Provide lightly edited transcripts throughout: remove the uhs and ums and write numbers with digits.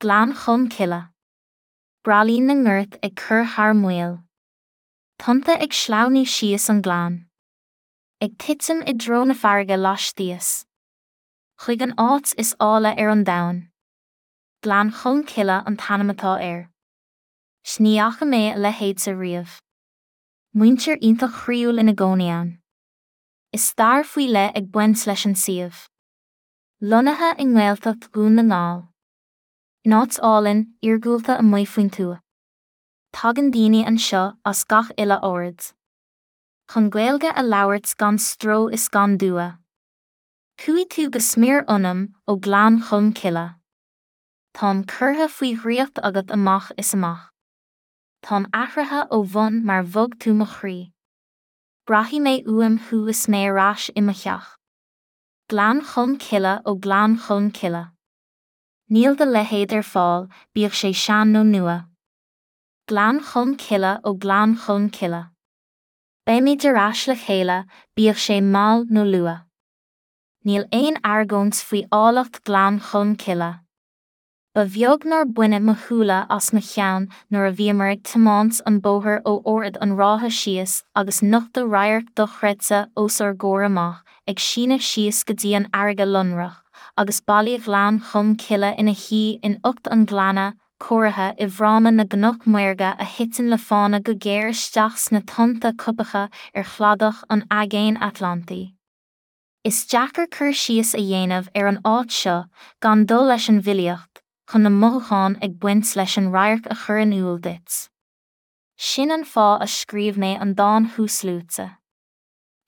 Gleann Cholm Cille. Braillín na ngort ag cur thar maoil. Tonnta ag sleamhnú síos an gleann. Ag titim i dtreo na farraige laistíos. Chuig an áit is áille ar an domhan. Gleann Cholm Cille an t-ainm atá air. 'S ní fhaca mé a leithéidse riamh. Muintir iontach chroíúil ina gcónaí ann. Is stair faoi leith ag baint leis an suíomh. Lonnaithe i nGaeltacht Dhún na nGall. In áit álainn, iargúlta amuigh faoin tuath. Tagann daoine anseo as gach uile aird. Chun Gaeilge a labhairt gan stró is gan dua. Chuaigh tú go smior ionam ó Ghleann Cholm Cille. Táim curtha faoi dhraíocht agat amach is amach. Táim athraithe ó bhun mar bhog tú mo chroí. Braithfidh mé uaim thú is mé ar ais i mo theach. Gleann Cholm Cille ó Gleann Cholm Cille. Níl do leithéid ar fáil, bíodh sé sean nó nua. Gleann Cholm Cille ó Gleann Cholm Cille. Beimid ar ais le chéile, bíodh sé mall nó luath. Níl aon argóint faoi áilleacht Ghleann Cholm Cille. Ba bheag nár baineadh mo shúile as mo cheann nuair a bhíomar ag tiomáint an bóthar ó Ard an Rátha síos agus nochtadh radharc dochreidte os ár gcomhair amach ag síneadh síos go dtí an fharraige lonrach agus baile Ghleann Cholm Cille ina shuí in ucht an ghleanna, cóirithe i bhfráma na gcnoc maorga a thiteann le fána go géar isteach sna tonnta coipeacha ar chladach an Aigéin Atlantaigh. Is deacair cur síos a dhéanamh ar an áit seo gan dul leis an bhfilíocht, chun na mothúcháin ag baint leis an radharc a chur in iúl duit. Sin an fáth a scríobh mé an dán thuasluaite.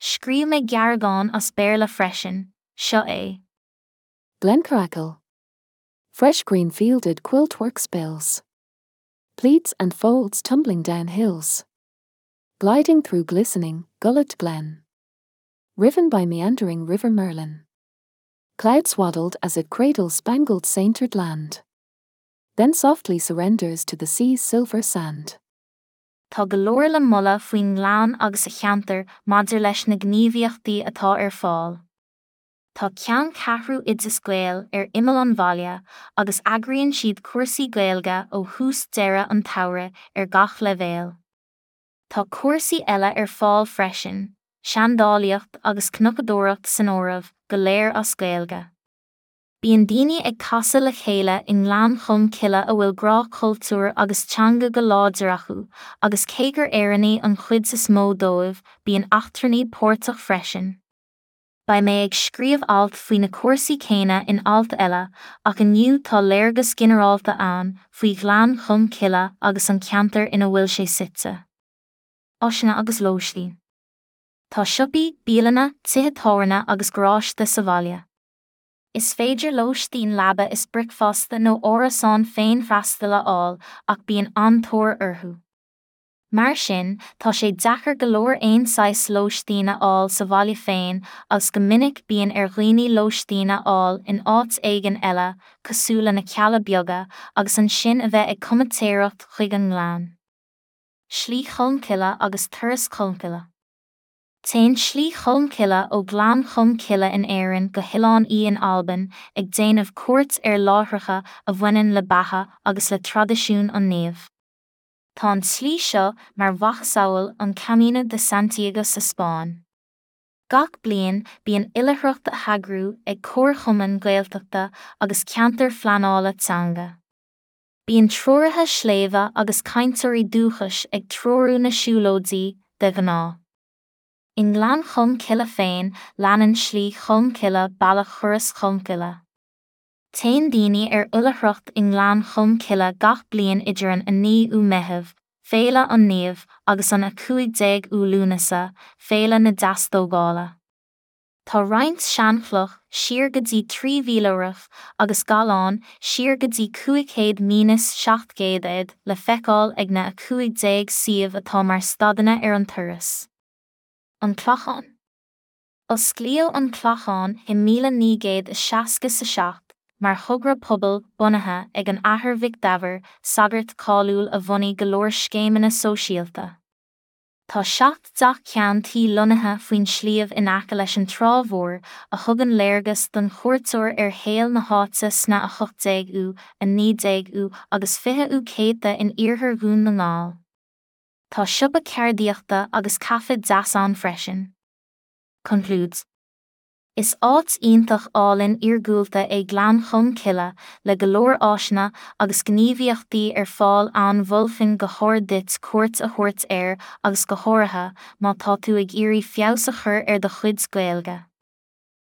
Scríobh mé gearrdhán as Béarla freisin, seo é. Glencoracle. Fresh green fielded quilt-work spills. Pleats and folds tumbling down hills. Gliding through glistening, gullet glen. Riven by meandering river Merlin. Cloud swaddled as it cradles spangled sainted land. Then softly surrenders to the sea's silver sand. Tá go leor le moladh faoin ngleann agus a cheantar maidir leis na gníomhaíochtaí atá ar fáil. Tá ceanncheathrú Oideas Gael ar imeall an bhaile agus eagraíonn siad cúrsaí Gaeilge ó thús deireadh an tsamhraidh ar gach leibhéal. Tá cúrsaí eile ar fáil freisin, seandálaíocht agus cnocadóireacht san áireamh, go léir as Gaeilge. Bíonn daoine ag casadh le chéile i nGleann Cholm Cille a bhfuil grá cultúir agus teanga go láidir acu, agus cé gur Éireannaigh an chuid is mó dóibh, bíonn eachtrannaigh páirteach freisin. Beidh mé ag scríobh alt faoi na cúrsaí céanna in alt eile, ach inniu tá léargas ginearálta ann faoi Ghleann Cholm Cille agus an ceantar ina bhfuil sé suite. Áiseanna agus lóistín. Tá siopaí, bialanna, tithe tábhairne agus garáiste sa bhaile. Is féidir lóistín leaba is bricfeasta nó árasán féinfhreastail a fháil ach bíonn an-tóir orthu. Mar sin, tá sé deacair go leor aon saghas lóistín a fháil sa bhaile féin agus go minic bíonn ar dhaoine lóistín a fháil in áit éigin eile, cosúil le na Cealla Beaga, agus ansin a bheith ag comaitéireacht chuig an nGleann. Slí Cholmcille agus Turas Cholmcille. Téann Slí Cholmcille ó Ghleann Cholm Cille in Éirinn go hOileán Í in Albain, ag déanamh cuairt ar láithreacha a bhaineann le beatha agus le traidisiún an naoimh. Tá an tslí seo mar mhacasamhail an Camino de Santiago sa Spáinn. Gach bliain bíonn oilithreacht á heagrú ag comharchumainn Ghaeltachta agus ceantair phleanála teanga. Bíonn treoraithe sléibhe agus cainteoirí dúchais ag treorú na siúlóidí, de ghnáth. I nGleann Cholm Cille féin leanann Slí Cholm Cille bealach Thuras Cholmcille. Téann daoine ar oilithreacht i nGleann Cholm Cille gach bliain idir an 9ú Meitheamh, Féile an Naoimh, agus an 15ú Lúnasa, Féile na Deastógála. Tá roinnt seanchloch, siar go dtí 3000 rf, agus gallán, siar go dtí 500 minus 700 AD, le feiceáil ag na 15 suíomh atá mar stadanna ar an turas. An Clachán. Osclaíodh an Clachán i 1967 mar thogra pobail bunaithe ag an Athair Mhic Daibhir, sagart cáiliúil a bhunaigh go leor scéimeanna sóisialta. Tá 7 dteach ceann tuí lonnaithe faoin sliabh in aice leis an Trá Mhór, a thugann léargas don chuairteoir ar shaol na háite sna 18ú, 19ú agus 20ú céadta in iarthar Dhún na nGall. Tá siopa ceardaíochta agus caife deas ann freisin. Concludes. Is áit iontach álainn iargúlta é Gleann Cholm Cille, le go leor áiseanna agus gníomhaíochtaí ar fáil ann mholfainn go hard duit cuairt a thabhairt air agus go háirithe má tá tú ag iarraidh feabhas a chur ar do chuid Gaeilge.